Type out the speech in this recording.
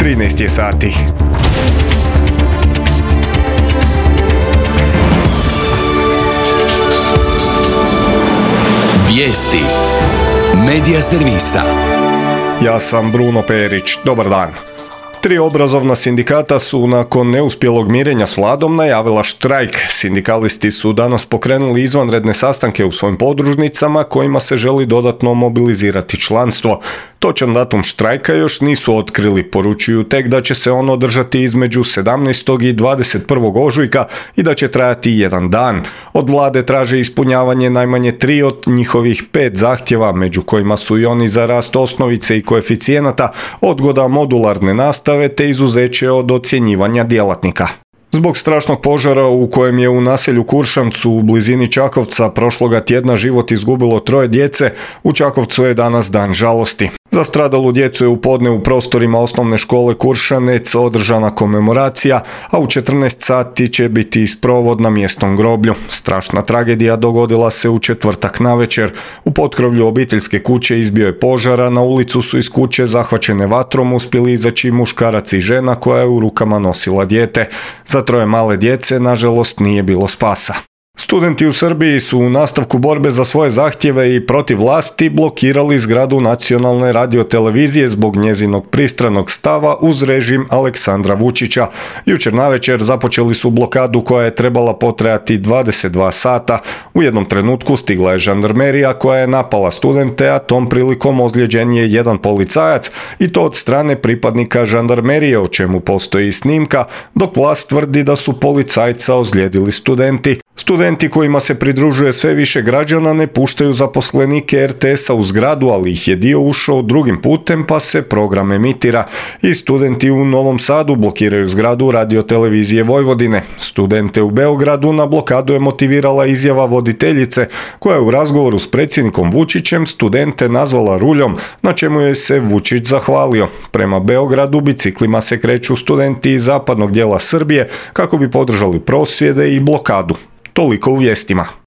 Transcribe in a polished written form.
13 je sati. Vijesti Medija servisa. Ja sam Bruno Perić. Dobar dan. 3 obrazovna sindikata su nakon neuspjelog mirenja s vladom najavila štrajk. Sindikalisti su danas pokrenuli izvanredne sastanke u svojim podružnicama kojima se želi dodatno mobilizirati članstvo. Točan datum štrajka još nisu otkrili, poručuju tek da će se on održati između 17. i 21. ožujka i da će trajati 1 dan. Od vlade traže ispunjavanje najmanje 3 od njihovih 5 zahtjeva, među kojima su i oni za rast osnovice i koeficijenata, odgoda modularne nastave te izuzeće od ocjenjivanja djelatnika. Zbog strašnog požara u kojem je u naselju Kuršancu u blizini Čakovca prošloga tjedna život izgubilo 3 djece, u Čakovcu je danas dan žalosti. Za stradalu djecu je u podne u prostorima osnovne škole Kuršanec održana komemoracija, a u 14 sati će biti sprovod na mjesnom groblju. Strašna tragedija dogodila se u četvrtak navečer. U potkrovlju obiteljske kuće izbio je požar, a na ulicu su iz kuće zahvaćene vatrom uspjeli izaći muškarac i žena koja je u rukama nosila dijete. Za 3 male djece, nažalost, nije bilo spasa. Studenti u Srbiji su u nastavku borbe za svoje zahtjeve i protiv vlasti blokirali zgradu Nacionalne radiotelevizije zbog njezinog pristranog stava uz režim Aleksandra Vučića. Jučer navečer započeli su blokadu koja je trebala potrajati 22 sata. U jednom trenutku stigla je žandarmerija koja je napala studente, a tom prilikom ozlijeđen je jedan policajac i to od strane pripadnika žandarmerije, o čemu postoji snimka, dok vlast tvrdi da su policajca ozlijedili studenti. Studenti kojima se pridružuje sve više građana ne puštaju zaposlenike RTS-a u zgradu, ali ih je dio ušao drugim putem pa se program emitira. I studenti u Novom Sadu blokiraju zgradu Radiotelevizije Vojvodine. Studente u Beogradu na blokadu je motivirala izjava voditeljice koja je u razgovoru s predsjednikom Vučićem studente nazvala ruljom, na čemu je se Vučić zahvalio. Prema Beogradu biciklima se kreću studenti iz zapadnog dijela Srbije kako bi podržali prosvjede i blokadu. Toliko u vijestima.